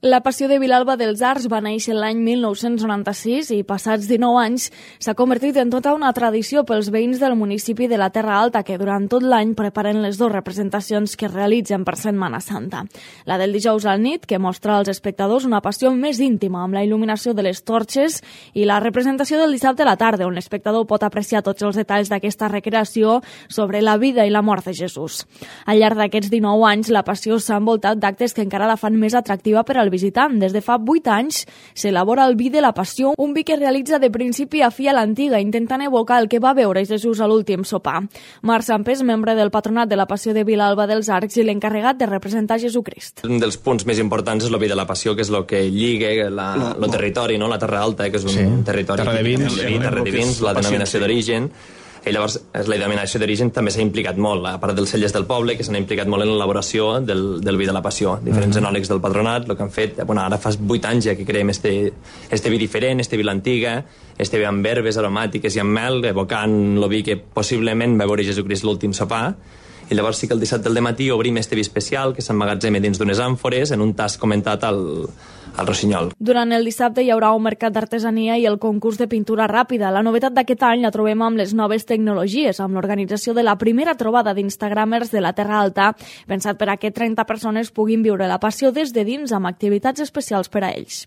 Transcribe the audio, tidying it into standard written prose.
La Passió de Vilalba dels Arcs va néixer l'any 1996 i, passats 19 anys, s'ha convertit en tota una tradició pels veïns del municipi de la Terra Alta, que durant tot l'any preparen les dues representacions que es realitzen per Setmana Santa. La del dijous al nit, que mostra als espectadors una passió més íntima amb la il·luminació de les torxes, i la representació del dissabte a la tarda, on l'espectador pot apreciar tots els detalls d'aquesta recreació sobre la vida i la mort de Jesús. Al llarg d'aquests 19 anys, la Passió s'ha envoltat d'actes que encara la fan més atractiva per al visitant. Des de fa 8 anys s'elabora el vi de la Passió, un vi que es realitza de principi a fi a l'antiga, intentant evocar el que va veure Jesús a l'últim sopar. Marc Sampés, membre del patronat de la Passió de Vilalba dels Arcs i l'encarregat de representar Jesucrist. Un dels punts més importants és el vi de la Passió, que és el que lliga el territori, no? La Terra Alta, que és un territori... Terra de vins. Terra de vins, la denominació d'origen. I llavors la denominació d'origen també s'ha implicat molt, a part dels cellers del poble, que s'han implicat molt en l'elaboració del vi de la Passió. Diferents enòlegs del patronat, el que han fet, ara fa 8 anys ja que creem este vi diferent, este vi l'antiga, este vi amb herbes aromàtiques i amb mel, evocant el vi que possiblement va veure Jesucrist l'últim sopar. I llavors sí que el dissabte al dematí obrim este vi especial que s'emmagatzema dins d'unes àmfores en un tas comentat al Rossinyol. Durant el dissabte hi haurà un mercat d'artesania i el concurs de pintura ràpida. La novetat d'aquest any la trobem amb les noves tecnologies, amb l'organització de la primera trobada d'instagramers de la Terra Alta, pensat per a que 30 persones puguin viure la Passió des de dins amb activitats especials per a ells.